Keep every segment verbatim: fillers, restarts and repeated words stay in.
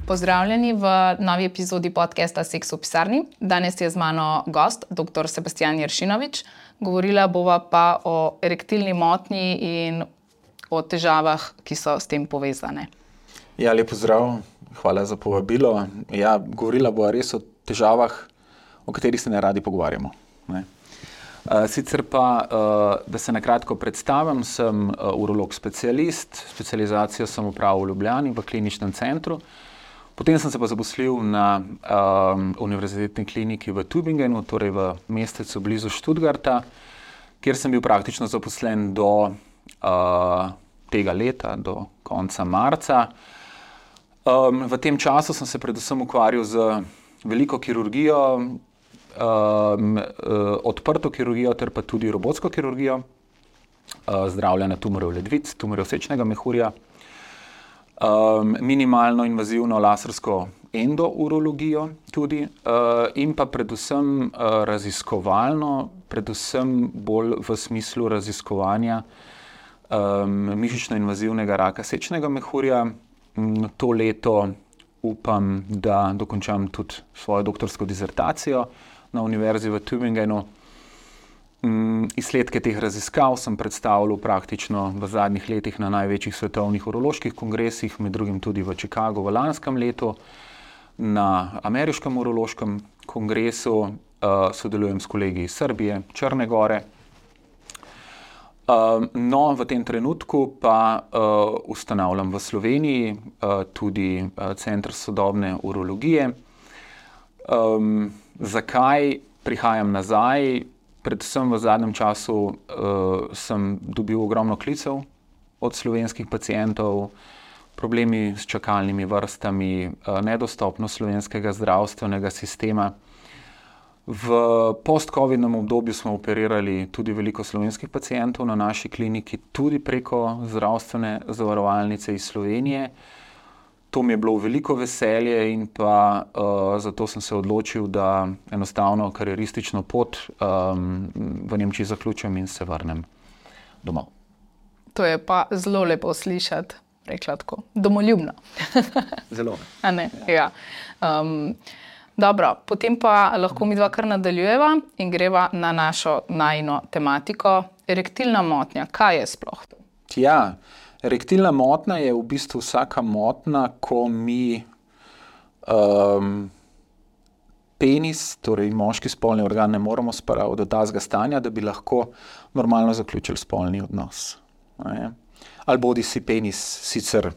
Pozdravljeni v novi epizodi podcasta Seks v pisarni. Danes je z mano gost, doktor Sebastijan Jeršinovič. Govorila bova pa o erektilni motnji in o težavah, ki so s tem povezane. Ja, lep pozdrav, hvala za povabilo. Ja, govorila bova res o težavah, o katerih se ne radi pogovarjamo. Ne? Uh, sicer pa, uh, da se nakratko predstavim, sem uh, urolog specialist, specializacijo sem opravil v Ljubljani v kliničnem centru. Potem sem se pa zaposlil na um, univerzitetni kliniki v Tübingenu, torej v mestecu blizu Stuttgarta, kjer sem bil praktično zaposlen do uh, tega leta, do konca marca. Um, v tem času sem se predvsem ukvarjal z veliko kirurgijo, um, uh, odprto kirurgijo ter pa tudi robotsko kirurgijo, uh, zdravljenja tumorjev ledvic, tumorjev sečnega mehurja, um, minimalno invazivno lasersko endourologijo tudi uh, in pa predvsem uh, raziskovalno, predvsem bolj v smislu raziskovanja um, mišično-invazivnega raka sečnega mehurja. Um, to leto upam, da dokončam tudi svojo doktorsko dizertacijo na univerzi v Tübingenu. Um, izsledke teh raziskav sem predstavljal praktično v zadnjih letih na največjih svetovnih uroloških kongresih, med drugim tudi v Chicagu v lanskem letu, na ameriškem urološkem kongresu, uh, sodelujem s kolegi iz Srbije, Črne Gore. Uh, no, v tem trenutku pa uh, ustanavljam v Sloveniji uh, tudi uh, Center sodobne urologije. Um, zakaj prihajam nazaj? Predvsem v zadnjem času uh, sem dobil ogromno klicev od slovenskih pacientov, problemi s čakalnimi vrstami, uh, nedostopnost slovenskega zdravstvenega sistema. V post-covidnem obdobju smo operirali tudi veliko slovenskih pacientov na naši kliniki, tudi preko zdravstvene zavarovalnice iz Slovenije. To mi je bilo veliko veselje in pa uh, zato sem se odločil, da enostavno karieristično pot um, v Nemčiji zaključim in se vrnem domov. To je pa zelo lepo slišati, rekla tako, domoljubno. Zelo. A ne, ja. Um, Dobro, potem pa lahko mi dva kar nadaljujeva in greva na našo najino tematiko. Erektilna motnja, kaj je sploh to? Ja, erektilna motnja je v bistvu vsaka motnja, ko mi um, penis, torej moški spolni organ, ne moremo spraviti do tazga stanja, da bi lahko normalno zaključili spolni odnos. Ne? Ali bodi si penis sicer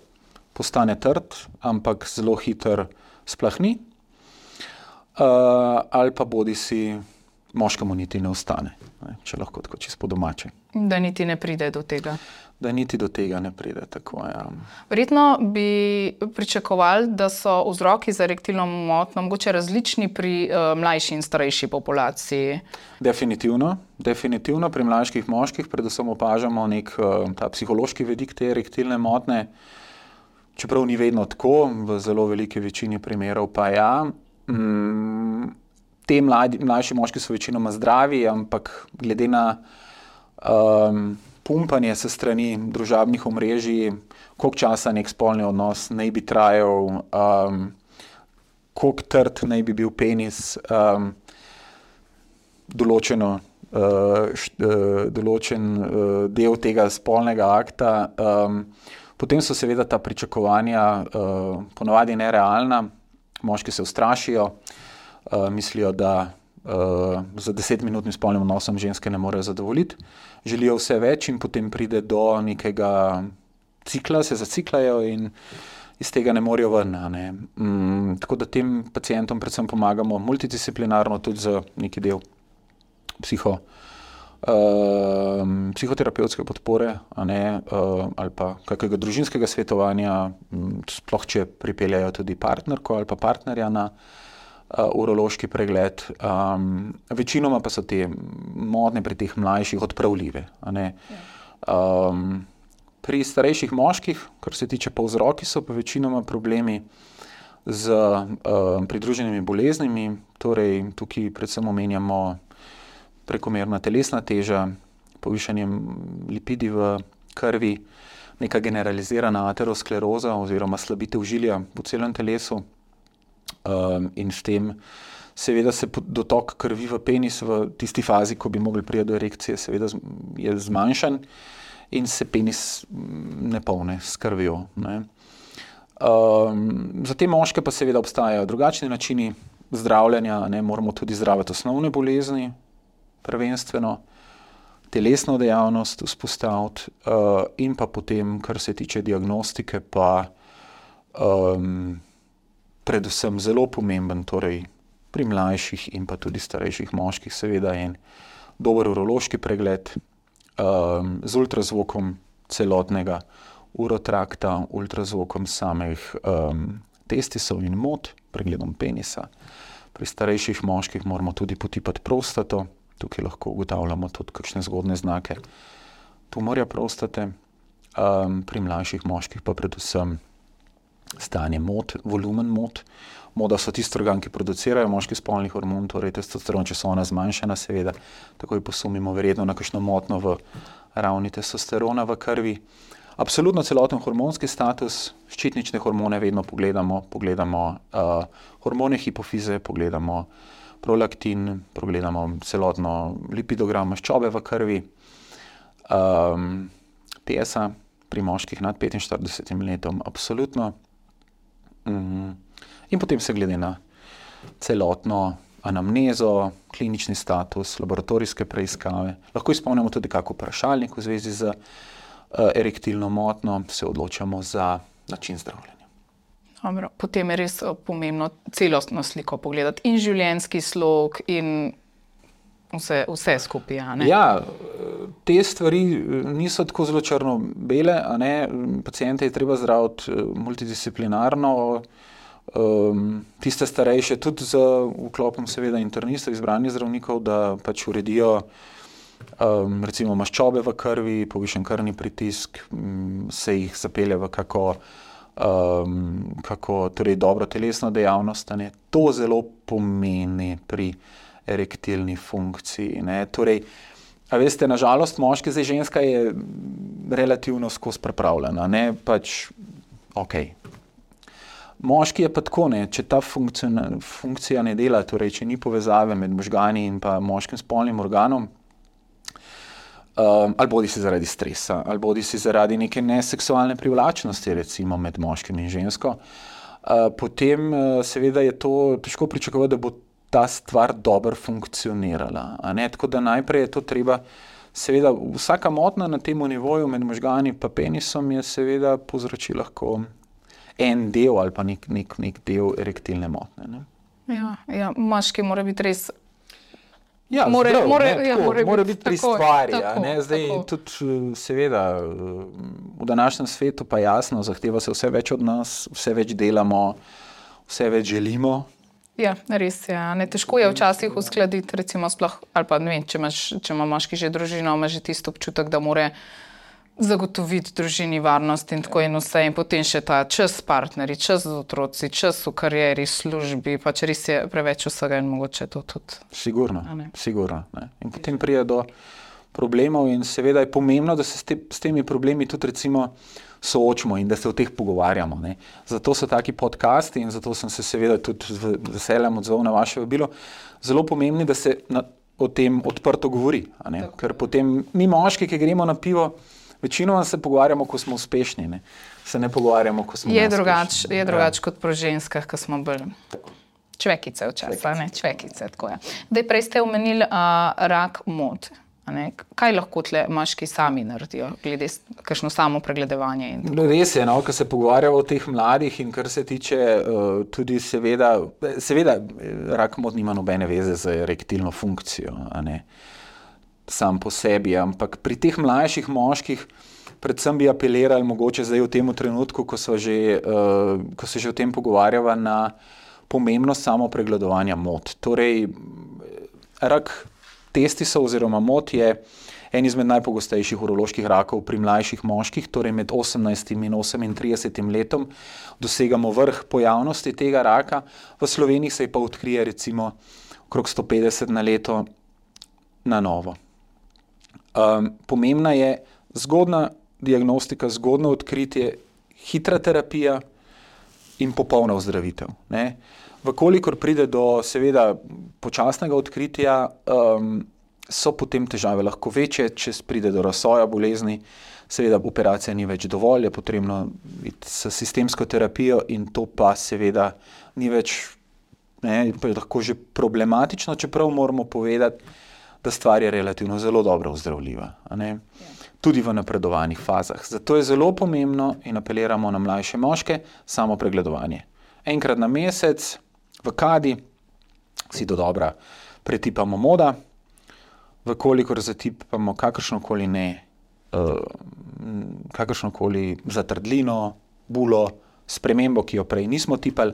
postane trd, ampak zelo hitro splahni. Uh, ali pa bodi si moškemu niti ne ostane, ne, če lahko tako čisto po domače. Da niti ne pride do tega. Da niti do tega ne pride, tako ja. Verjetno bi pričakovali, da so vzroki za erektilno motnjo mogoče različni pri uh, mlajši in starejši populaciji. Definitivno, definitivno pri mlajših moških predvsem opažamo nek uh, ta psihološki vidik te erektilne motnje, čeprav ni vedno tako, v zelo veliki večini primerov pa ja. Mm, te mladi, mlajši moški so večinoma zdravi, ampak glede na um, pumpanje se strani družabnih omrežij, koliko časa nek spolni odnos naj bi trajal, um, koliko trd naj bi bil penis, um, določeno, uh, št, uh, določen uh, del tega spolnega akta. Um, potem so seveda ta pričakovanja uh, ponavadi nerealna. Moški se ustrašijo, uh, mislijo, da uh, za desetminutnim spolnim odnosom ženske ne morejo zadovoljiti. Želijo vse več in potem pride do nekega cikla, se zaciklajo in iz tega ne morejo ven. Ne. Mm, tako da tem pacientom predvsem pomagamo multidisciplinarno, tudi za neki del psiho, uh, psihoterapevtske podpore, a ne, uh, ali pa kakega družinskega svetovanja, um, sploh če pripeljajo tudi partnerko ali pa partnerja na uh, urološki pregled. Um, večinoma pa so te motnje pri teh mlajših odpravljive. A ne. Um, pri starejših moških, kar se tiče pa vzroki, so pa večinoma problemi z uh, pridruženimi boleznimi, torej tukaj predvsem omenjamo prekomerna telesna teža, povišanje lipidi v krvi, neka generalizirana ateroskleroza oziroma slabitev žilja po celem telesu um, in s tem seveda se dotok krvi v penis v tisti fazi, ko bi mogli priti do erekcije, seveda je zmanjšan in se penis ne polne s krvjo. Ne. Um, za te moške pa seveda obstajajo drugačni načini zdravljenja, ne, moramo tudi zdraviti osnovne bolezni, prvenstveno, telesno dejavnost vzpostaviti uh, in pa potem, kar se tiče diagnostike, pa um, predvsem zelo pomemben, torej pri mlajših in pa tudi starejših moških seveda en dober urološki pregled um, z ultrazvokom celotnega urotrakta, ultrazvokom samih um, testisov in mot, pregledom penisa. Pri starejših moških moramo tudi potipati prostato, tukaj lahko ugotavljamo tudi kakšne zgodne znake tumorja prostate, um, pri mlajših moških pa predvsem stanje mot, volumen mot. Moda so tisti organ, ki producirajo moški spolni hormon, torej testosteron, če so ona zmanjšana, seveda, takoj posumimo verjetno na kakšno motno v ravni testosterona v krvi. Absolutno celoten hormonski status, ščitnične hormone vedno pogledamo, pogledamo uh, hormone hipofize, pogledamo prolaktin, pogledamo celotno lipidogram maščobe v krvi, um, P S A pri moških nad petinštiridesetim letom, absolutno. Um, in potem se glede na celotno anamnezo, klinični status, laboratorijske preiskave, lahko izpolnimo tudi kak vprašalnik v zvezi z erektilno motno, se odločamo za način zdravljenja. Dobro, potem je res pomembno celostno sliko pogledati in življenjski slog in vse, vse skupaj. A ne? Ja, te stvari niso tako zelo črno-bele, a ne, paciente je treba zdraviti multidisciplinarno, um, tiste starejše tudi z vklopom seveda internistov, izbranih zdravnikov, da pač uredijo Um, recimo maščobe v krvi, povišen krvni pritisk, um, se jih zapelje v kako, um, kako torej dobro telesno dejavnost. Ne. To zelo pomeni pri erektilni funkciji. Ne. Torej, a veste, na žalost moški, zdaj ženska je relativno skozi pripravljena. Ne. Pač, ok. Moški je pa tako, ne. Če ta funkcija, funkcija ne dela, torej, če ni povezave med možgani in pa moškim spolnim organom, Um, ali bodi si zaradi stresa, ali bodi si zaradi neke neseksualne privlačnosti, recimo med moškim in žensko, uh, potem uh, seveda je to težko pričakovati, da bo ta stvar dobro funkcionirala. A ne? Tako da najprej je to treba, seveda vsaka motna na tem nivoju med možgani pa penisom je seveda povzroči lahko en del ali pa nek, nek, nek del erektilne motne. Ne? Ja, ja, moški mora biti res Ja, more, zdrav, more, ne, ja, tako, more mora biti biti pri tako, stvari. tako, Ne? Zdaj, tudi seveda v današnjem svetu pa jasno, zahteva se vse več od nas, vse več delamo, vse več želimo. Ja, res je. Ne, težko je včasih uskladiti, recimo sploh, ali pa ne vem, če, imaš, če ima moški že družino, ima že tisto občutek, da mora zagotoviti družini varnost in tako in vse, in potem še ta čas s partnerji, čas z otroci, čas v karieri, službi, pač res je preveč vsega in mogoče to tudi. Sigurno, sigurno. Ne. In potem pride do problemov in seveda je pomembno, da se s, te, s temi problemi tudi recimo soočimo in da se o teh pogovarjamo. Ne. Zato so taki podcasti in zato sem se seveda tudi z veseljem odzval na vaše vabilo, zelo pomembni, da se na, o tem odprto govori. A ne. Ker potem mi moški, ki gremo na pivo, večinoma se pogovarjamo, ko smo uspešni, ne? Se ne pogovarjamo, ko smo je drugač, neuspešni. je drugač ja. Kot pri ženskah, ko smo bolj čvekice včasih, ne, čvekice, tako je. Daj, prej ste omenili uh, rak mot. Kaj lahko tle moški sami naredijo, glede kakšno samo pregledovanje? In res je, no, ko se pogovarjamo o teh mladih in kar se tiče uh, tudi seveda, seveda rak mot nima nobene veze z erektilno funkcijo, a ne. Sam po sebi, ampak pri teh mlajših moških predvsem bi apelirali mogoče zdaj v tem trenutku, ko, so že, uh, ko se že o tem pogovarjava, na pomembnost samo pregledovanja mot. Torej, rak testisov oziroma mot je en izmed najpogostejših uroloških rakov pri mlajših moških, torej med osemnajstim in osemintridesetim letom dosegamo vrh pojavnosti tega raka. V Sloveniji se pa odkrije recimo okrog sto petdeset na leto na novo. Um, pomembna je zgodna diagnostika, zgodno odkritje, hitra terapija in popolna ozdravitev. Ne? Vkolikor pride do seveda počasnega odkritja, um, so potem težave lahko večje, če pride do razsoja bolezni, seveda operacija ni več dovolj, je potrebno iti s sistemsko terapijo in to pa seveda ni več, ne, pa je lahko že problematično, čeprav moramo povedati, da stvar je relativno zelo dobro ozdravljiva, a ne? Tudi v napredovanih fazah. Zato je zelo pomembno in apeliramo na mlajše moške samo pregledovanje. Enkrat na mesec v kadi si do dobra pretipamo moda, vkolikor zatipamo kakršnokoli ne, uh, kakršnokoli zatrdlino, bulo, spremembo, ki jo prej nismo tipali,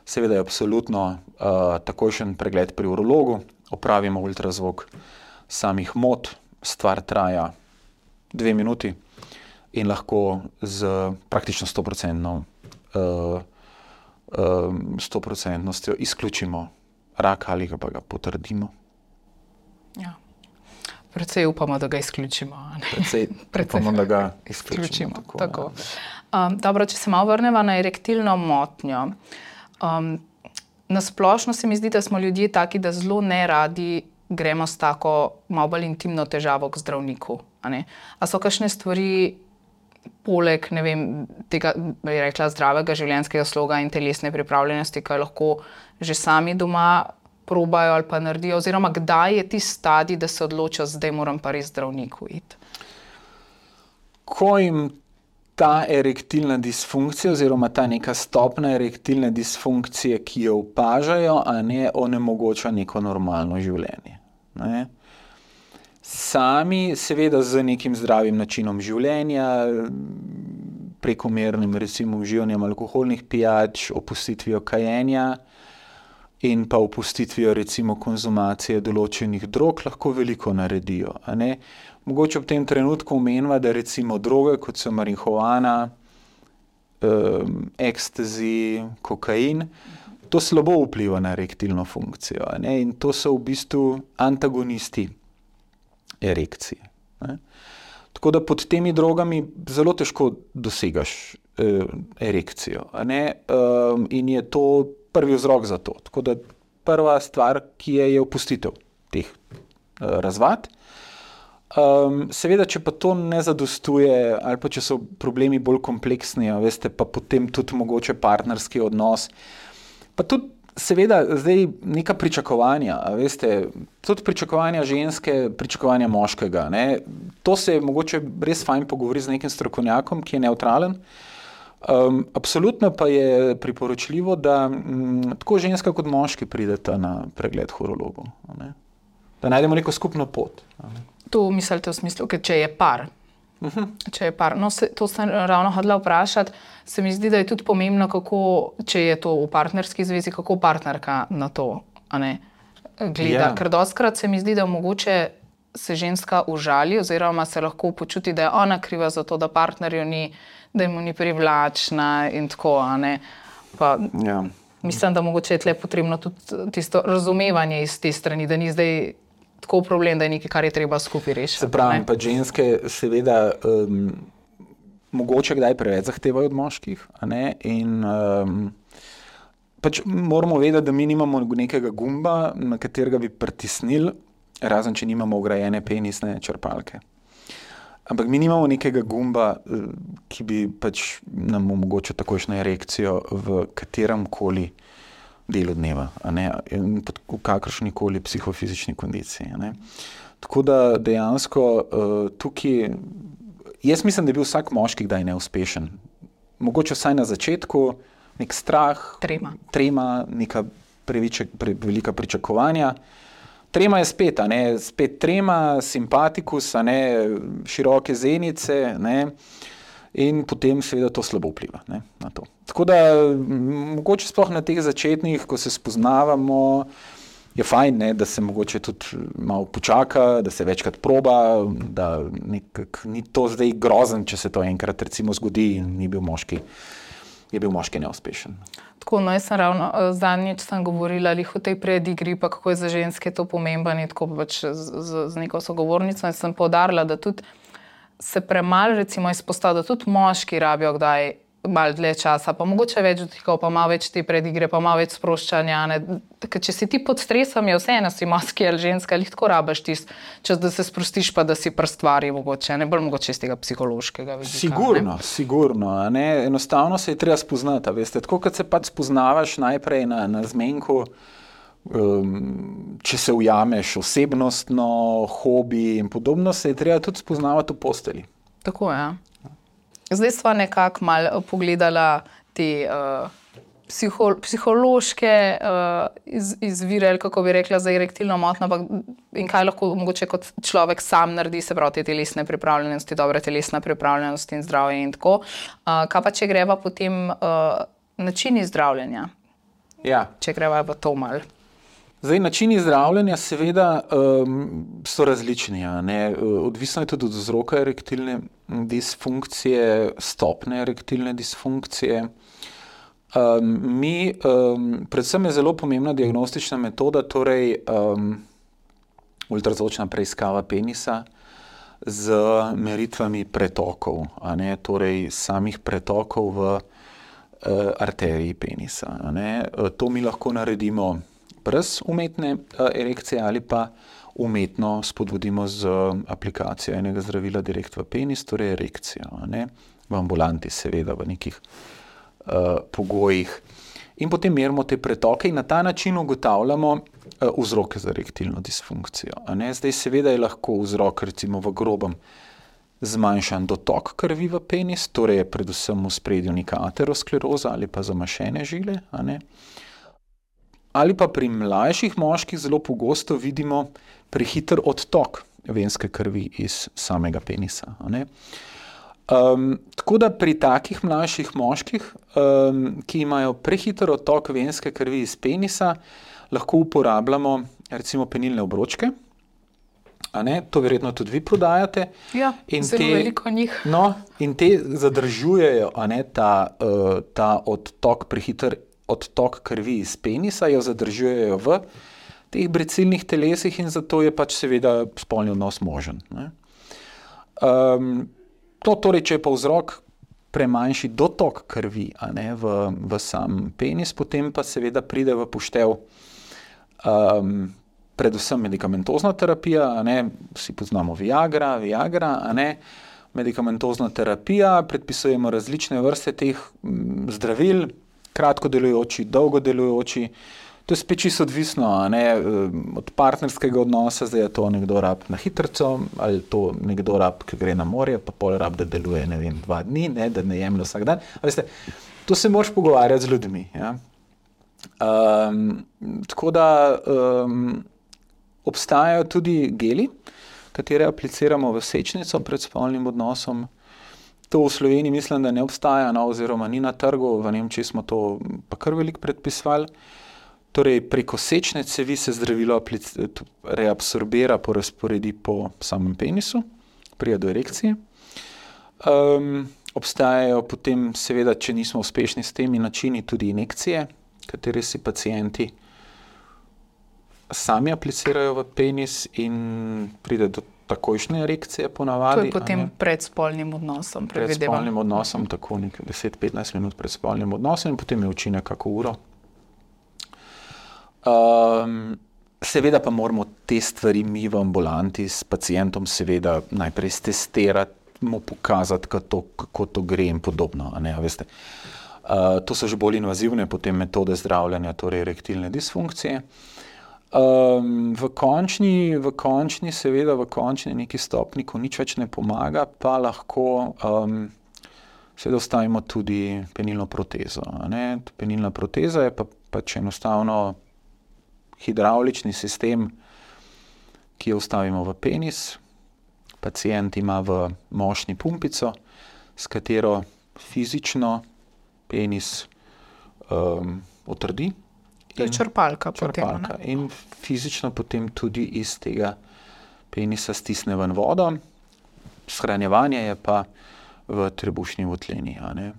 seveda je absolutno uh, takojšen pregled pri urologu, opravimo ultrazvok samih mod, stvar traja dve minuti in lahko z praktično sto procentno uh, sto procentnostjo izključimo rak ali pa ga potrdimo. Ja. Predvsej upamo, da ga izključimo. Predvsej, Predvsej upamo, da ga izključimo. izključimo tako, tako. Um, dobro, če se malo vrnemo na erektilno motnjo. Um, na splošno se mi zdi, da smo ljudje taki, da zelo neradi gremo s tako malo bolj intimno težavo k zdravniku. A, ne? A so kakšne stvari poleg, ne vem, tega, bi rekla, zdravega življenjskega sloga in telesne pripravljenosti, ki lahko že sami doma probajo ali pa naredijo, oziroma kdaj je tisti stadij, da se odločijo, zdaj moram pa res zdravniku iti? Ko jim ta erektilna disfunkcija oziroma ta neka stopna erektilne disfunkcije, ki jo opažajo, a ne onemogoča neko normalno življenje. Ne? Sami seveda z nekim zdravim načinom življenja, prekomernim recimo uživanjem alkoholnih pijač, opustitvijo kajenja in pa opustitvijo recimo konzumacije določenih drog lahko veliko naredijo. A ne? Mogoče ob tem trenutku omenva, da recimo droge, kot so marihuana, um, ekstazi, kokain, to slabo vpliva na erektilno funkcijo. A ne? In to so v bistvu antagonisti erekcije. Ne? Tako da pod temi drogami zelo težko dosegaš eh, erekcijo. A ne? Um, in je to prvi vzrok za to. Tako da prva stvar, ki je, je opustitev teh uh, razvad. Um, seveda, če pa to ne zadostuje, ali pa če so problemi bolj kompleksni, a veste, pa potem tudi mogoče partnerski odnos, pa tudi seveda zdaj neka pričakovanja, a veste, tudi pričakovanja ženske, pričakovanja moškega, ne, to se je mogoče res fajn pogovori z nekim strokovnjakom, ki je nevtralen. Um, absolutno pa je priporočljivo, da m, tako ženska kot moški prideta na pregled k urologu, ne, da najdemo neko skupno pot. Ne. To mislite v smislu, ker če je par. Uh-huh. Če je par. No, se, to sem ravno hodila vprašati. Se mi zdi, da je tudi pomembno, kako, če je to v partnerski zvezi, kako partnerka na to, a ne, gleda. Yeah. Ker dostikrat se mi zdi, da mogoče se ženska užali oziroma se lahko počuti, da je ona kriva za to, da partnerju ni, da mu ni privlačna in tako, a ne. Pa, yeah. Mislim, da mogoče je tle potrebno tudi tisto razumevanje iz te strani, da ni zdaj tako problem, da je nekaj, kar je treba skupaj rešiti. Se pravi, pa ženske seveda um, mogoče kdaj preveč zahtevajo od moških, a ne, in um, pač moramo vedeti, da mi nimamo nekega gumba, na katerega bi pritisnili, razen če nimamo vgrajene penisne črpalke. Ampak mi nimamo nekega gumba, ki bi pač nam omogočil takojšnjo erekcijo v kateremkoli delu dneva, a ne, v kakršnikoli psihofizični kondiciji. A ne. Tako da dejansko uh, tukaj, jaz mislim, da je bil vsak moški kdaj neuspešen. Mogoče vsaj na začetku, nek strah, trema, trema neka previček, pre, velika pričakovanja. Trema je spet, a ne, spet trema, simpatikus, a ne, široke zenice, ne, in potem seveda to slabo vpliva, ne, na to. Tako da mogoče sploh na teh začetnih, ko se spoznavamo, je fajn, ne, da se mogoče tudi malo počaka, da se večkrat proba, da nekak ni to zdaj grozen, če se to enkrat recimo zgodi in ni bil moški, je bil moški neuspešen. Tako, no, jaz sem ravno zadnjič sem govorila lih o tej predigri, pa kako je za ženske to pomembno in tako pač z, z, z neko sogovornico in sem poudarila, da tudi se premalo recimo izpostavlja, da tudi moški rabijo kdaj malo dlje časa, pa mogoče več dotikov, pa malo več te predigre, pa malo več sproščanja. Ne? Tako, če si ti pod stresom, je vseeno si moški ali ženska, ali tako rabiš tisti čas, da se sprostiš, pa da si pri stvari mogoče, ne bolj mogoče iz tega psihološkega vidika. Sigurno, ne? sigurno. Ne? Enostavno se je treba spoznati, veste. Tako, kot se pač spoznavaš najprej na, na zmenku, um, če se ujameš osebnostno, hobi in podobno, se je treba tudi spoznavati v posteli. Tako je, ja. Zdaj sva nekako malo pogledala te uh, psiho, psihološke uh, iz, izvire, ali kako bi rekla, za erektilno motnjo, in kaj lahko mogoče kot človek sam naredi, se pravi te telesne pripravljenosti, dobre telesna pripravljenosti in zdravje in tako. Uh, kaj pa, če greva potem uh, načini zdravljenja? Ja. Če greva v to malo. Zdaj, načini zdravljenja seveda um, so različni. Ne? Odvisno je tudi od vzroka erektilne disfunkcije, stopne erektilne disfunkcije. Um, mi, um, predvsem je zelo pomembna diagnostična metoda, torej um, ultrazvočna preiskava penisa z meritvami pretokov, a ne? Torej samih pretokov v uh, arteriji penisa. A ne? To mi lahko naredimo brez umetne uh, erekcije ali pa umetno spodbudimo z aplikacijo enega zdravila direkt v penis, torej erekcijo, ne? V ambulanti seveda, v nekih uh, pogojih. In potem merimo te pretoke in na ta način ugotavljamo uh, vzroke za erektilno disfunkcijo. A ne? Zdaj seveda je lahko vzrok recimo v grobem zmanjšan dotok krvi v penis, torej je predvsem v spredju neka ateroskleroza ali pa zamašene žile, a ne? Ali pa pri mlajših moških zelo pogosto vidimo prehiter odtok venske krvi iz samega penisa. A ne? Um, tako da pri takih mlajših moških, um, ki imajo prehiter odtok venske krvi iz penisa, lahko uporabljamo recimo penilne obročke. A ne? To verjetno tudi vi prodajate. Ja, in zelo te, veliko njih. No, in te zadržujejo, a ne, ta, uh, ta odtok prehiter odtok krvi iz penisa, jo zadržujejo v teh brecilnih telesih in zato je pač seveda spolni odnos možen. Ne? Um, to torej, če je pa vzrok premanjši dotok krvi, a ne, v, v sam penis, potem pa seveda pride v poštev um, predvsem medikamentozna terapija, a ne, vsi poznamo Viagra, Viagra, a ne, medikamentozna terapija, predpisujemo različne vrste teh m, zdravil, kratko delujoči, dolgo delujoči. To je spet čisto odvisno, a ne, od partnerskega odnosa, zdaj je to nekdo rab na hitrco, ali to nekdo rab, ki gre na morje, pa pol rab, da deluje, ne vem, dva dni, ne, da ne jemlje vsak dan. A veste, to se moraš pogovarjati z ljudmi. Ja? Um, tako da um, obstajajo tudi geli, katere apliciramo v sečnico pred spolnim odnosom. To v Sloveniji mislim, da ne obstaja, no, oziroma ni na trgu, v Nemčiji smo to pa kar veliko predpisovali. Torej, preko sečne cevi se zdravilo reabsorbira, porazporedi po samem penisu, pride do erekcije. Um, obstajajo potem, seveda, če nismo uspešni s temi načini, tudi injekcije, katere si pacienti sami aplicirajo v penis in pride do takojšnje erekcije ponavadi. To je potem pred spolnim odnosom, predvidevam. Pred spolnim odnosom, tako nekaj deset do petnajst minut pred spolnim odnosom in potem je učinek kako uro. Um, seveda pa moramo te stvari mi v ambulanti s pacientom seveda najprej stestirati, mu pokazati, kako to, kako to gre in podobno. A ne, a veste. Uh, to so že bolj invazivne potem metode zdravljenja, torej erektilne disfunkcije. Um, v končni, v končni, seveda v končni neki stopni, ko nič več ne pomaga, pa lahko um, seveda vstavimo tudi penilno protezo. A ne? Penilna proteza je pa pač enostavno hidravlični sistem, ki jo vstavimo v penis. Pacient ima v mošnji pumpico, s katero fizično penis um, otrdi. To je črpalka, črpalka potem. In fizično potem tudi iz tega penisa stisne ven vodo. Shranjevanje je pa v trebušni votlini. A ne?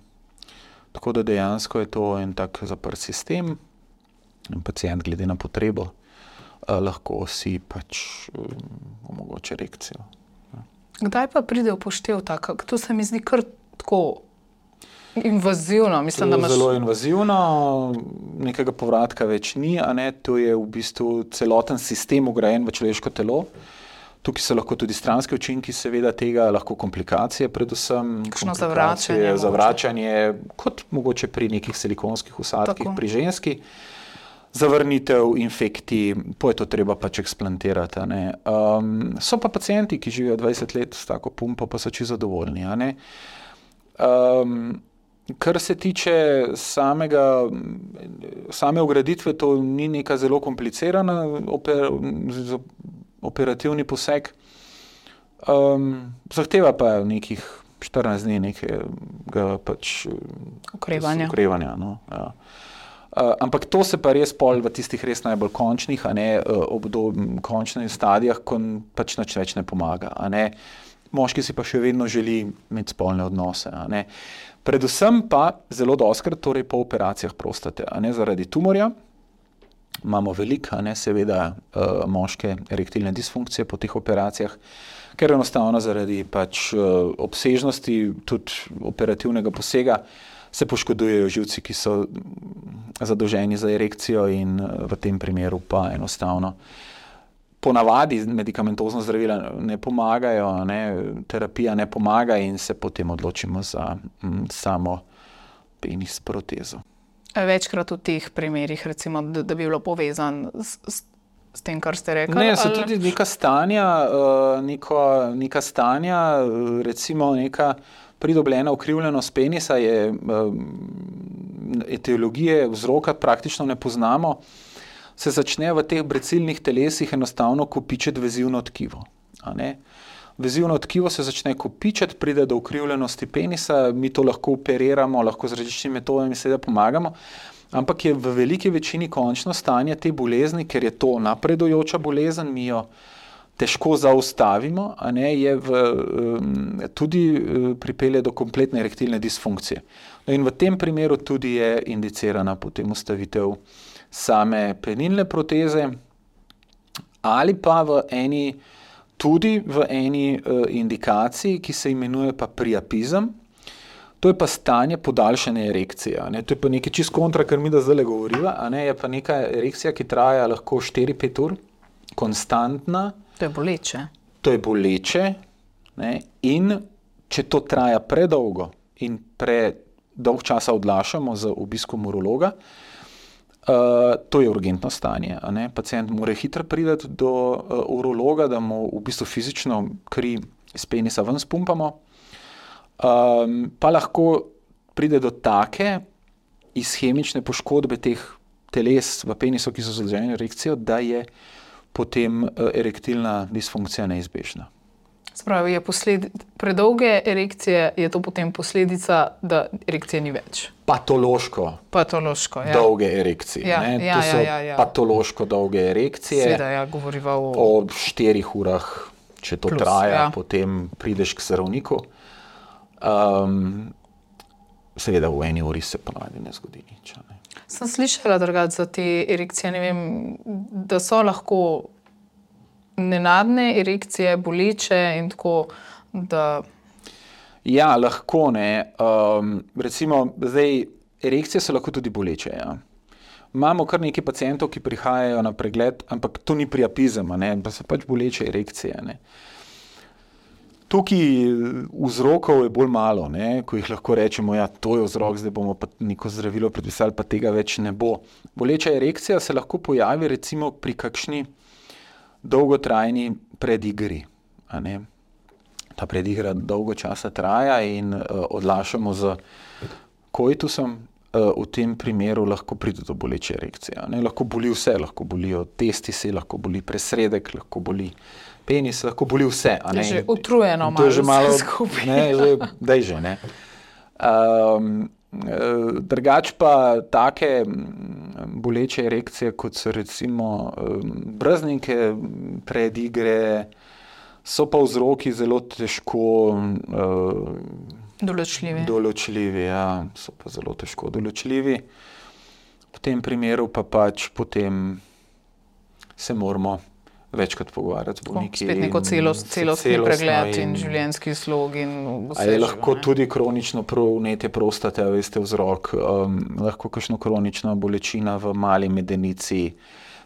Tako da dejansko je to en tak zaprt sistem in pacient glede na potrebo eh, lahko si pač um, omogoči erekcijo. Kdaj pa pride upoštev tako? To se mi zdi kar tako invazivno. Mislim, da imaš... Zelo invazivno, nekega povratka več ni, a ne, to je v bistvu celoten sistem ugrajen v človeško telo. Tukaj so lahko tudi stranski učinki, seveda tega, lahko komplikacije predvsem. Kakšno zavračanje. Zavračanje, kot mogoče pri nekih silikonskih vsadkih, Tako. pri ženski. Zavrnitev, infekti, po je to treba pač eksplantirati. Ne. Um, so pa pacienti, ki živijo dvajset let s tako pumpo, pa so čisto zadovoljni. A ne. Um, kar se tiče samega, same ugraditve, to ni neka zelo komplicirana oper, operativni poseg. Um, zahteva pa nekih štirinajst dni nekega pač okrevanja. okrevanja no, ja. Uh, ampak to se pa res pol v tistih res najbolj končnih, a ne, uh, obdob, končnih stadijah, ko pač nič več ne pomaga, a ne. Moški si pa še vedno želi imeti spolne odnose, a ne. Predvsem pa zelo dostikrat, torej po operacijah prostate, a ne, zaradi tumorja. Imamo veliko, a ne, seveda, uh, moške erektilne disfunkcije po teh operacijah, ker enostavno zaradi pač uh, obsežnosti tudi operativnega posega se poškodujejo živci, ki so zadolženi za erekcijo in v tem primeru pa enostavno ponavadi medikamentozno zdravila ne pomagajo, ne, terapija ne pomaga in se potem odločimo za m, samo penis protezo. Večkrat v teh primerih, recimo, da, da bi bilo povezan s, s, s tem, kar ste rekli? Ne, so ali... tudi neka stanja, uh, neko, neka stanja, recimo neka pridobljena ukrivljenost penisa je, etiologije vzroka praktično ne poznamo, se začne v teh brecilnih telesih enostavno kopičiti vezivno tkivo. A ne? Vezivno tkivo se začne kopičiti, pride do ukrivljenosti penisa, mi to lahko operiramo, lahko z različnimi metodami seveda pomagamo, ampak je v veliki večini končno stanje te bolezni, ker je to napredujoča bolezen, mi jo težko zaustavimo, a ne, je v, um, tudi uh, pripelje do kompletne erektilne disfunkcije. No in v tem primeru tudi je indicirana potem ustavitev same penilne proteze ali pa v eni, tudi v eni uh, indikaciji, ki se imenuje pa priapizem. To je pa stanje podaljšane erekcije. A ne. To je pa nekaj čisto kontra, kar mi da zdaj govoriva, a ne, je pa neka erekcija, ki traja lahko štiri pet ur, konstantna. To je boleče. To je boleče, ne, in če to traja predolgo in predolg časa odlašamo z obiskom urologa, uh, to je urgentno stanje. A ne. Pacient mora hitro priti do uh, urologa, da mu v bistvu fizično kri iz penisa ven spumpamo. Um, pa lahko pride do take ishemične poškodbe teh teles v penisu, ki so zadolženi erekcijo, da je potem erektilna disfunkcija neizbežna. Spravi, je posledi... predolge erekcije, je to potem posledica, da erekcije ni več? Patološko. Patološko, ja. Dolge erekcije. Ja, ne? ja, to so ja, ja, ja. patološko dolge erekcije. Seveda, ja, govoriva o... O štirih urah, če to Plus, traja, ja. Potem prideš k zdravniku. Um, seveda v eni uri se ponavadi ne zgodi nič. Ne? Sem slišala drugače za te erekcije, ne vem, da so lahko nenadne erekcije, boleče in tako, da... Ja, lahko, ne. Um, recimo, zdaj, erekcije so lahko tudi boleče, ja. Imamo kar nekaj pacientov, ki prihajajo na pregled, ampak to ni priapizem, ne, pa so pač boleče erekcije, ne. Tukaj vzrokov je bolj malo, ne, ko jih lahko rečemo, ja, to je vzrok, zdaj bomo pa neko zdravilo predpisali, pa tega več ne bo. Boleča erekcija se lahko pojavi recimo pri kakšni dolgotrajni predigri. A ne. Ta predigra dolgo časa traja in uh, odlašamo z koitusom, uh, v tem primeru lahko pride do boleče erekcije. Ne. Lahko boli vse, lahko bolijo testisi, lahko boli presredek, lahko boli penis, lahko boli vse. A ne? Je že utrujeno malo, že malo skupaj. Ne, že, daj že, ne. Um, drugač pa take boleče erekcije, kot so recimo brznike, predigre, so pa vzroki zelo težko uh, določljivi. Določljivi, ja, so pa zelo težko določljivi. V tem primeru pa pač potem se moramo večkrat pogovarjati z bolniki. Spet neko celost, celostni pregled in, in življenjski slog. In vse je živo, lahko ne? tudi kronično vnetje prostate, veste, vzrok, um, lahko kakšno kronična bolečina v mali medenici,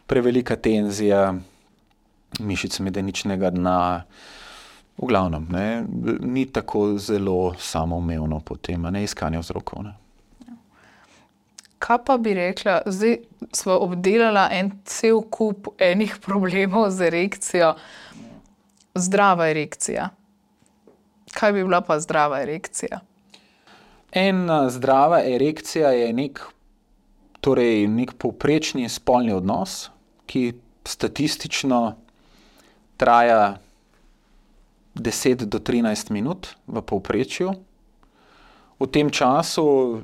prevelika tenzija mišic medeničnega dna. V glavnem, ne, ni tako zelo samoumevno potem, ne, iskanje vzrokov. Ne. Kaj pa bi rekla, zdaj smo obdelala en cel kup enih problemov z erekcijo. Zdrava erekcija. Kaj bi bila pa zdrava erekcija? Ena zdrava erekcija je nek, torej nek povprečni spolni odnos, ki statistično traja deset do trinajst minut v povprečju. V tem času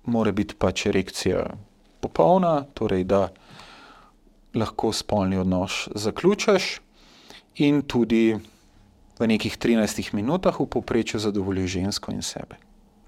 mora biti pač erekcija popolna, torej da lahko spolni odnos zaključiš in tudi v nekih trinajstih minutah v povprečju zadovoljiš žensko in sebe.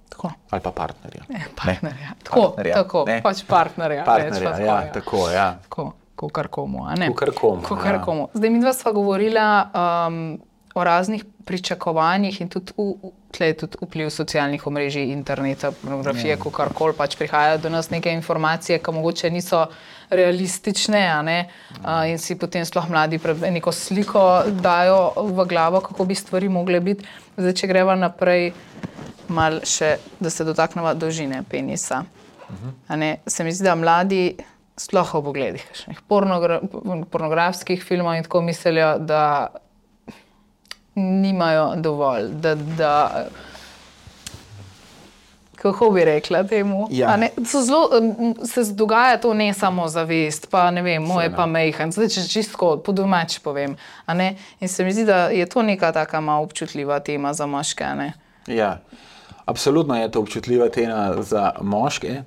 Tako. Ali pa partnerja. Ne, partnerja. Ne. Tako, partnerja, tako, ne. Pač partnerja. Partnerja, tako, ja, ja. tako, ja. Tako, kakor komu, a ne? Kakor komu, kakor ja. komu. Zdaj mi dva sva govorila um, o raznih pričakovanjih in tudi, v, tle je tudi vpliv socialnih omrežij, interneta, pornografije, ja. Kakorkoli pač prihajajo do nas neke informacije, ki mogoče niso realistične, a ne? Uh, in si potem sploh mladi neko sliko dajo v glavo, kako bi stvari mogle biti. Zdaj, če greva naprej, mal še, da se dotakneva dolžine penisa. Uh-huh. A ne? Se mi zdi, da mladi sploh ob ogledih pornogra pornografskih filmov in tako mislijo, da nimajo dovolj, da, da kako bi rekla temu, ja. a ne, so zelo, se dogaja to ne samo zavest, pa ne vem, moje pa mejhan, zdaj če čistko po domač povem, a ne, in se mi zdi, da je to neka taka malo občutljiva tema za moške, a ne. Ja, absolutno je to občutljiva tema za moške.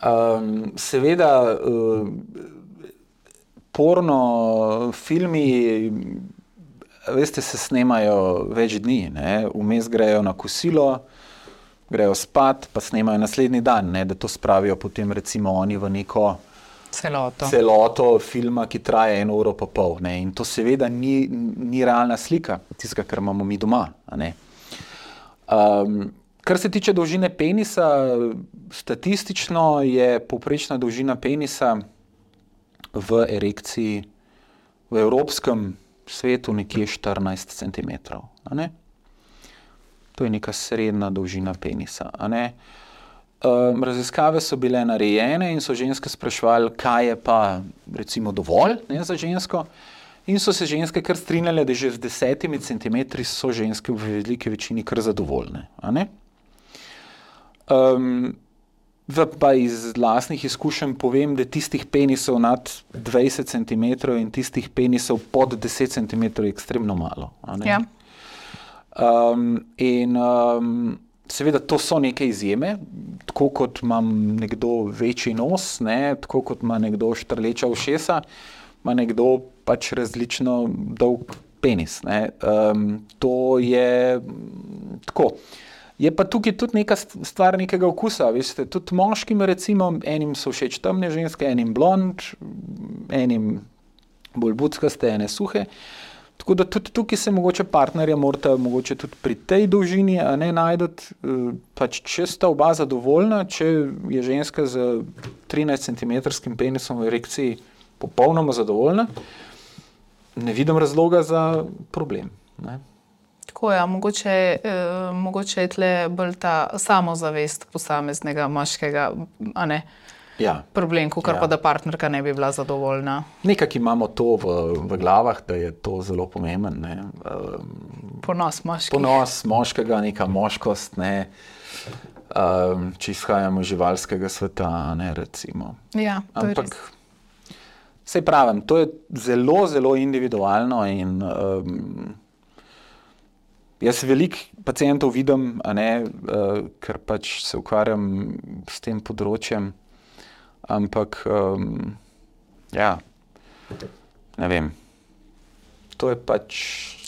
Um, seveda, uh, porno filmi, veste, se snemajo več dni, ne? Vmes grejo na kosilo, grejo spat, pa snemajo naslednji dan, ne? Da to spravijo potem recimo oni v neko celoto, celoto filma, ki traja eno uro pa pol, ne? In to seveda ni, ni realna slika tistega, kar imamo mi doma, a ne? Um, kar se tiče dolžine penisa, statistično je povprečna dolžina penisa v erekciji v evropskem svetu nekje štirinajst centimetrov, a ne? To je neka srednja dolžina penisa, a ne? Um, raziskave so bile narejene in so ženske spraševali, kaj je pa recimo dovolj, ne, za žensko, in so se ženske kar strinjale, da že z desetimi centimetri so ženske v veliki večini kar zadovoljne, a ne? Um, pa iz lastnih izkušenj povem, da tistih penisov nad dvajset centimetrov in tistih penisov pod deset centimetrov je ekstremno malo. A ne? Ja. Um, in um, seveda to so neke izjeme, tako kot imam nekdo večji nos, ne, tako kot ima nekdo štrleča ušesa, ima nekdo pač različno dolg penis. Ne. Um, to je tako. Je pa tukaj tudi neka stvar nekega okusa, veste, tudi moškim recimo, enim so všeč temne ženske, enim blond, enim bolj buckaste, ene suhe, tako da tudi tukaj se mogoče partnerja morata mogoče tudi pri tej dolžini, a ne najdeti, pač če sta oba zadovoljna, če je ženska z trinajst centimetrskim penisom v erekciji popolnoma zadovoljna, ne vidim razloga za problem, ne. Tako ja, mogoče, eh, mogoče je tle bolj ta samozavest posameznega moškega, a ne, ja. problem, kakor ja. pa da partnerka ne bi bila zadovoljna. Nekak imamo to v, v glavah, da je to zelo pomemben, ne. Um, ponos moških. Ponos moškega, neka moškost, ne, um, če izhajamo iz živalskega sveta, ne, recimo. Ja, to Ampak, je res. Saj pravim, to je zelo, zelo individualno in um, jaz veliko pacientov vidim, a ne, uh, ker pač se ukvarjam s tem področjem, ampak um, ja, ne vem, to je pač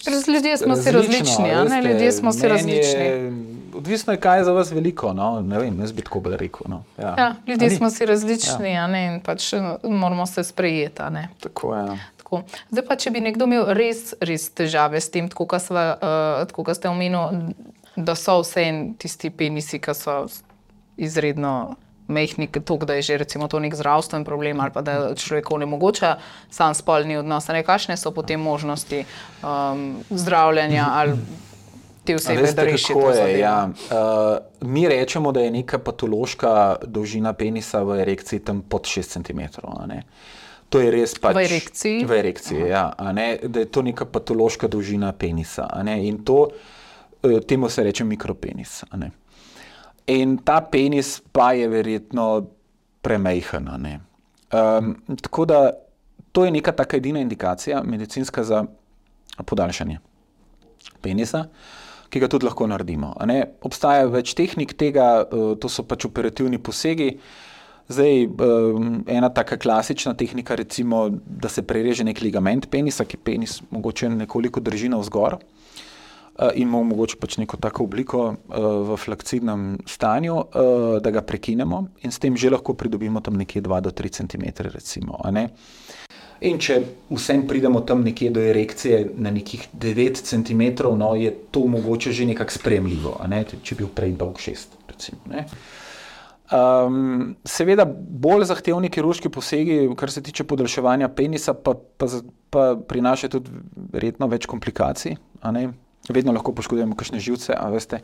ljudje smo si različni, a ne, ljudje smo si različni. Je, odvisno je, kaj je za vas veliko, no, ne vem, jaz bi tako bolj rekel, no. Ja, ja ljudje smo si različni, ja. a ne, in pač moramo se sprejeti, a ne. Tako, ja. Tako. Zdaj pa, če bi nekdo imel res, res težave s tem, tako kot uh, ste omenili, da so vse tisti penisi, ki so izredno mehni, toliko, da je že recimo to nek zdravstven problem ali pa da človeku onemogoča sam spolni odnos. Ne, kakšne so potem možnosti um, zdravljenja ali te osebe, da reši to zadevo? Ja. Uh, mi rečemo, da je neka patološka dolžina penisa v erekciji tam pod šest centimetrov. To je res pač... V erekciji? V erekciji, ja. A ne? Da je to neka patološka dolžina penisa. A ne? In to, temu se reče mikropenis. A ne? In ta penis pa je verjetno premejhen. A ne? Um, tako da to je neka taka edina indikacija medicinska za podaljšanje penisa, ki ga tudi lahko naredimo. A ne? Obstaja več tehnik tega, to so pač operativni posegi. Zdaj, ena taka klasična tehnika, recimo, da se prereže nek ligament penisa, ki penis mogoče nekoliko drži navzgor in mu mogoče pač neko tako obliko v flakcidnem stanju, da ga prekinemo in s tem že lahko pridobimo tam nekje dva do tri centimetre, recimo. A ne? In če vsem pridemo tam nekje do erekcije na nekih devet centimetrov, no, je to mogoče že nekako sprejemljivo, a ne? Če bi bil prej dolg šest, recimo. Ne? Um, seveda bolj zahtevni kirurški posegi, kar se tiče podaljševanja penisa, pa, pa, pa prinaša tudi verjetno več komplikacij, a ne? Vedno lahko poškodujemo kakšne živce, a veste,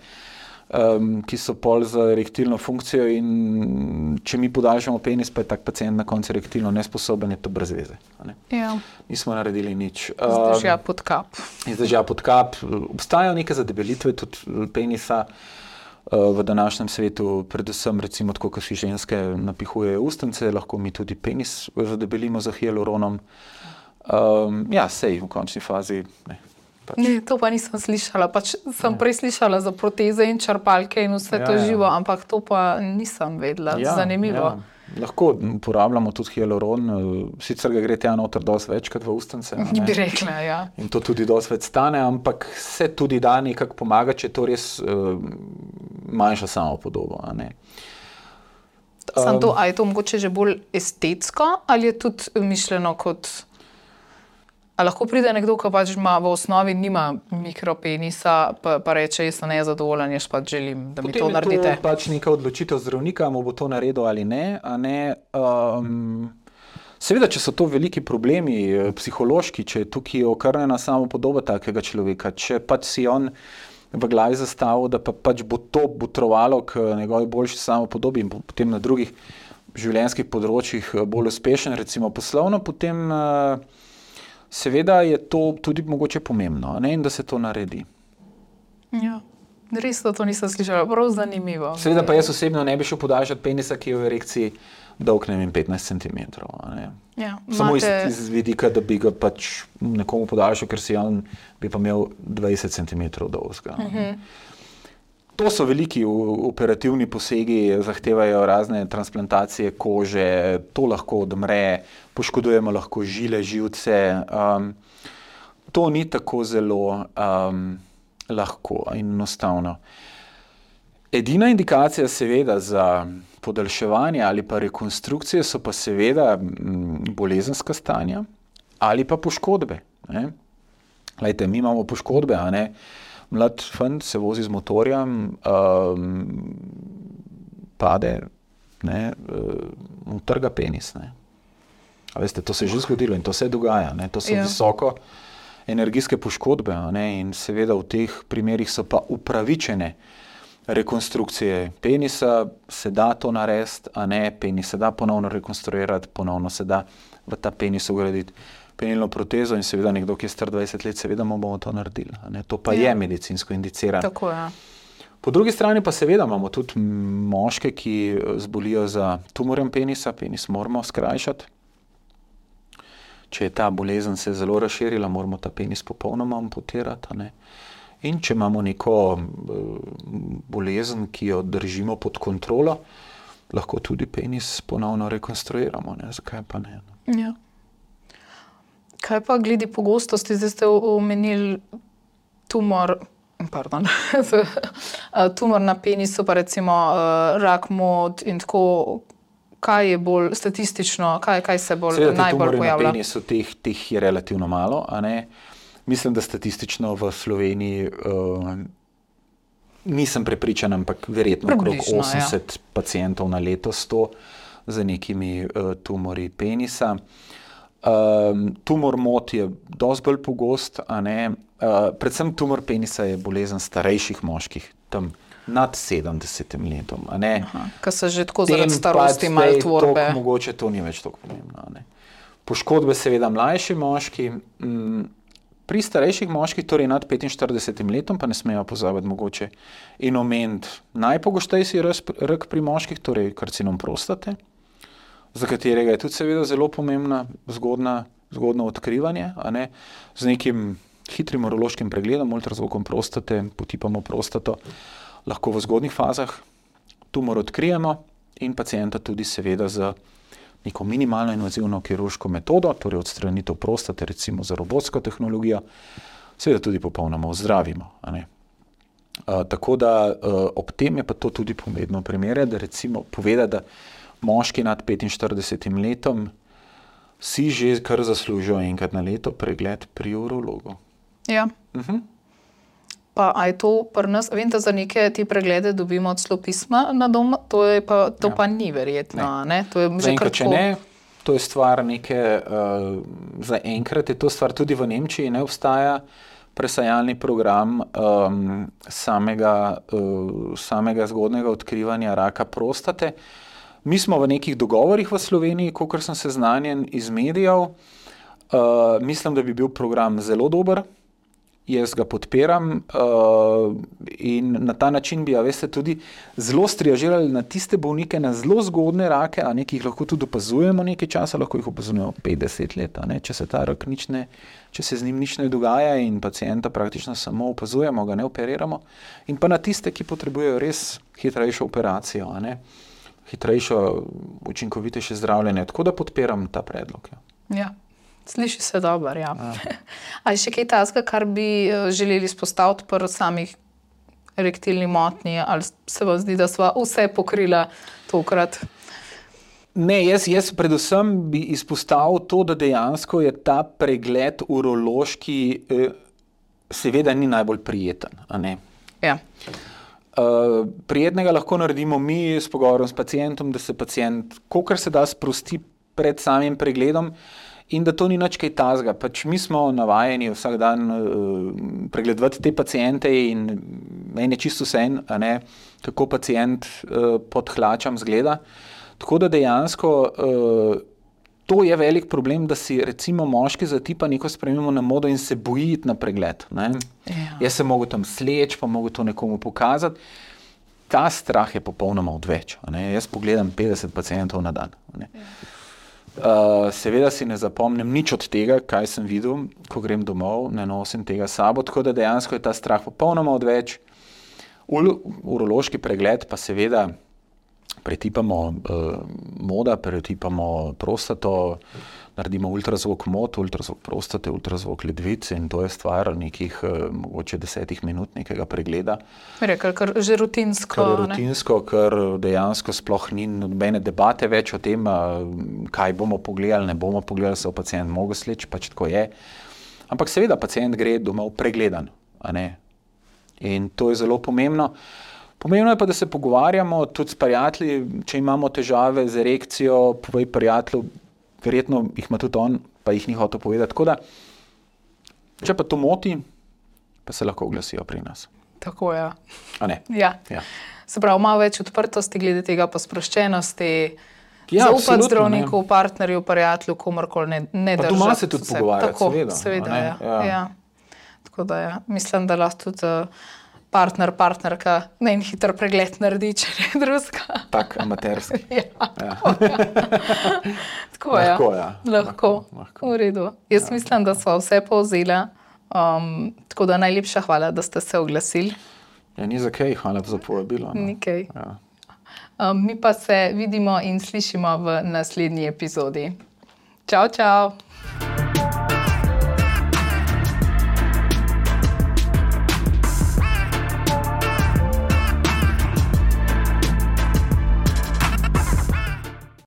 um, ki so pol za erektilno funkcijo in če mi podaljšamo penis, pa je tak pacient na koncu erektilno nesposoben, je to brez veze. A ne? Ja. Nismo naredili nič. Zdržja pod kap. Zdržja pod kap. Obstajajo neke zadebelitve tudi penisa v današnjem svetu, predvsem recimo tako, ko si ženske napihujejo ustence, lahko mi tudi penis zadebelimo z hialuronom. Um, ja, sej v končni fazi ne. Pač. Ne, to pa nisem slišala. Pač sem ja. prej slišala za proteze in črpalke in vse ja, to živo, ja. ampak to pa nisem vedela. Ja, zanimivo. Ja. Lahko uporabljamo tudi hialuron, sicer ga gre tja noter dosti večkrat v ustence. Bi rekla, ja. In to tudi dosti več stane, ampak se tudi da nekako pomaga, če to res uh, manjša samopodobo. A ne. Um, to, a je to mogoče že bolj estetsko ali je tudi mišljeno kot... A lahko pride nekdo, ki pač ima v osnovi nima mikropenisa, pa, pa reče, jaz sem nezadovoljen, jaz pač želim, da mi to naredite. Potem je to pač neka odločitev zdravnika, mu bo to naredil ali ne. A ne um, seveda, če so to veliki problemi, psihološki, če je tukaj okrnjena samopodoba takega človeka, če pač si on v glavi zastavil, da pa pač bo to botrovalo k njegovi boljši samopodobi in potem na drugih življenjskih področjih bolj uspešen, recimo poslovno, potem... Uh, Seveda je to tudi mogoče pomembno, ne? In da se to naredi. Ja, res to nisem slišala, prav zanimivo. Seveda pa jaz osebno ne bi šel podaljšati penisa, ki je v erekciji dolg, ne vem, petnajst centimetrov. Ne? Ja, Samo imate... iz, iz vidika, da bi ga pač nekomu podaljšal, ker si on bi pa imel dvajset centimetrov dolgega. Uh-huh. To so veliki operativni posegi, zahtevajo razne transplantacije kože, to lahko odmre, poškodujemo lahko žile, živce. Um, to ni tako zelo um, lahko in enostavno. Edina indikacija seveda za podaljševanje ali pa rekonstrukcije so pa seveda bolezenska stanja ali pa poškodbe. Ne? Glejte, mi imamo poškodbe, a ne? Mlad fant se vozi z motorjem, um, pade, ne, um, trga penis. Ne. A veste, to se je že zgodilo in to se dogaja. Ne. To so ja. visoko energijske poškodbe, a ne, in seveda v teh primerih so pa upravičene rekonstrukcije penisa, se da to narediti, a ne, penis se da ponovno rekonstruirati, ponovno se da v ta penis ugraditi penilno protezo in seveda nekdo, ki je star dvajset let, seveda mu bomo to naredili. Ne? To pa ja. je medicinsko indicirano. Tako, ja. Po drugi strani pa seveda imamo tudi moške, ki zbolijo za tumorjem penisa, penis moramo skrajšati. Če je ta bolezen se zelo razširila, moramo ta penis popolnoma amputirati. Ne? In če imamo neko bolezen, ki jo držimo pod kontrolo, lahko tudi penis ponovno rekonstruiramo. Ne? Zakaj pa ne? Ja. Kaj pa glede pogostosti, zdaj ste omenili tumor, pardon, tumor na penisu, pa recimo rak mod in tako, kaj je bolj statistično, kaj, kaj se bolj Seveda, najbolj pojavlja? Seveda, penisu teh, teh je relativno malo, a ne. Mislim, da statistično v Sloveniji uh, nisem prepričan, ampak verjetno okrog osemdeset ja. pacientov na leto, sto z nekimi uh, tumori penisa. Um, tumor mot je dosti bolj pogost, a ne. Uh, predvsem tumor penisa je bolezen starejših moških, tam nad sedemdesetim letom, a ne. Ko se že tako zaradi starosti malo tvorbe. Tok, mogoče to ni več tako pomembno, a ne. Poškodbe seveda mlajši moški, m, pri starejših moških, torej nad petinštiridesetim letom, pa ne smejo pozabiti mogoče in omeniti najpogostejši rak pri moških, torej karcinom prostate, za katerega je tudi seveda zelo pomembna zgodna, zgodno odkrivanje, a ne, z nekim hitrim urološkim pregledom, ultrazvokom prostate, potipamo prostato, lahko v zgodnih fazah tumor odkrijemo in pacienta tudi seveda z neko minimalno invazivno kirurško metodo, torej odstranitev prostate, recimo za robotsko tehnologijo, seveda tudi popolnoma ozdravimo, a ne. Uh, tako da uh, ob tem je pa to tudi pomembno primere, da recimo poveda, da moški nad petinštiridesetim letom si že kar zaslužijo enkrat na leto pregled pri urologu. Ja. Uh-huh. Pa a je to pri nas, vem, da za neke te preglede dobimo celo pisma na dom, to, je pa, to ja. pa ni verjetno, ne? ne? To je že enkrat, kratko... če ne, to je stvar neke, uh, za enkrat je to stvar tudi v Nemčiji, ne obstaja presajalni program um, samega, uh, samega zgodnega odkrivanja raka prostate. Mi smo v nekih dogovorih v Sloveniji, kolikor sem seznanjen iz medijev, uh, mislim, da bi bil program zelo dober. Jaz ga podpiram uh, in na ta način bi, a veste, tudi zelo striažirali na tiste bolnike, na zelo zgodne rake, a ne, ki jih lahko tudi opazujemo nekaj časa, lahko jih opazujemo petdeset let, a ne, če se ta rak nič ne, če se z njim nič ne dogaja in pacienta praktično samo opazujemo, ga ne operiramo, in pa na tiste, ki potrebujejo res hitrejšo operacijo, a ne, hitrejšo, učinkovitejše zdravljenje, tako da podpiram ta predlog. Ja. Ja. Sliši se dobro, ja. A je še kaj takega, kar bi želeli izpostaviti pri samih erektilni motnji, ali se vam zdi, da sva vse pokrila tokrat? Ne, jaz, jaz predvsem bi izpostavil to, da dejansko je ta pregled urološki eh, seveda ni najbolj prijeten, a ne? Ja. Uh, prijetnega lahko naredimo mi s pogovorom s pacientom, da se pacient kolikor se da sprosti pred samim pregledom, in da to ni nič kaj tazga. Pač mi smo navajeni vsak dan uh, pregledovati te paciente in meni je čisto vseeno, a ne, kako pacient uh, pod hlačam zgleda. Tako da dejansko uh, to je velik problem, da si recimo moški zatipa neko spremembo na modo in se boji na pregled. Ne? Ja. Jaz se mogu tam sleč, pa mogu to nekomu pokazati. Ta strah je popolnoma odveč. A ne? Jaz pogledam petdeset pacientov na dan. A ne? Ja. Uh, seveda si ne zapomnim nič od tega, kaj sem videl, ko grem domov, ne nosim tega sabo, tako da dejansko je ta strah popolnoma odveč. Ul- urološki pregled pa seveda pretipamo uh, moda, pretipamo prostato, naredimo ultrazvok mot, ultrazvok prostate, ultrazvok ledvice in to je stvar nekih uh, mogoče desetih minut nekega pregleda. Rekel, kar že rutinsko. Kar je rutinsko, ne? Ker dejansko sploh ni nobene debate več o tem, uh, kaj bomo pogledali, ne bomo pogledali, se v pacient mogo sleči, pač tako je. Ampak seveda pacient gre domov pregledan, a ne? In to je zelo pomembno. Pomembno je pa, da se pogovarjamo tudi s prijatelji, če imamo težave z erekcijo, povej prijatelju, verjetno jih ima tudi on, pa jih ni hotel povedati. Tako da, če pa to moti, pa se lahko oglasijo pri nas. Tako, ja. A ne? Ja. Ja. Se pravi, malo več odprtosti glede tega, pa sproščenosti, ja, zaupati zdravniku, partnerju, prijatelju, komorkoli, ne, ne držati. Pa doma se tudi pogovarjati, tako, seveda. seveda ja. Ja. Ja. Tako da, ja. Mislim, da lahko tudi uh, partner, partnerka ne en hiter pregled naredi, če ne drugega. Tak, amaterski. Ja, ja. Tako, ja. Lahko, ja. Lahko, lahko. V redu. Jaz ja. mislim, da sva vse povzela, um, tako da najlepša hvala, da ste se oglasili. Ja, ni za kaj, hvala za povabilo. No. Ni kaj. Ja. Um, mi pa se vidimo in slišimo v naslednji epizodi. Čau, čau!